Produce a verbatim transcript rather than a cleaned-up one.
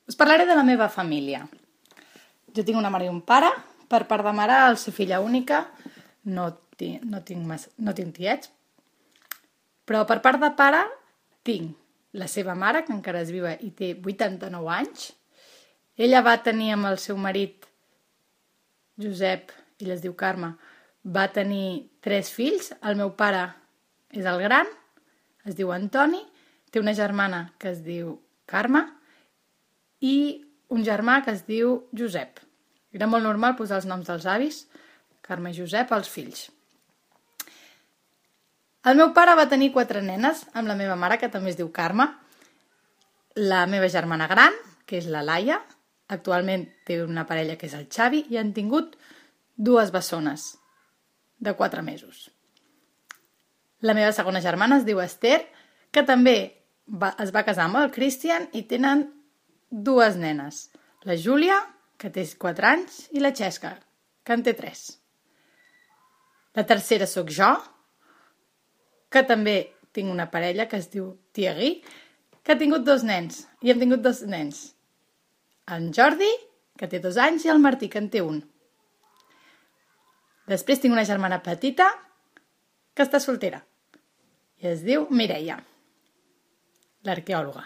Us parlaré de la meva família. Jo tinc una mare i un pare. Per part de mare, al ser filla única, no tinc, no tinc, mas, no tinc tiets. Però per part de pare, tinc la seva mare, que encara és viva i té vuitanta-nou anys. Ella va tenir amb el seu marit, Josep, ella es diu Carme, va tenir tres fills. El meu pare és el gran, es diu Antoni, té una germana que es diu Carme i un germà que es diu Josep. Era molt normal posar els noms dels avis, Carme i Josep, als fills. El meu pare va tenir quatre nenes amb la meva mare, que també es diu Carme. La meva germana gran, que és la Laia, actualment té una parella que és el Xavi, i han tingut dues bessones de quatre mesos. La meva segona germana es diu Esther, que també va, es va casar amb el Christian i tenen dues nenes. La Júlia, que té quatre anys, i la Xesca, que en té tres. La tercera sóc jo, que també tinc una parella que es diu Thierry, que ha tingut dos nens, i hem tingut dos nens. En Jordi, que té dos anys, i el Martí, que en té un. Després tinc una germana petita que està soltera i es diu Mireia, l'arqueòloga.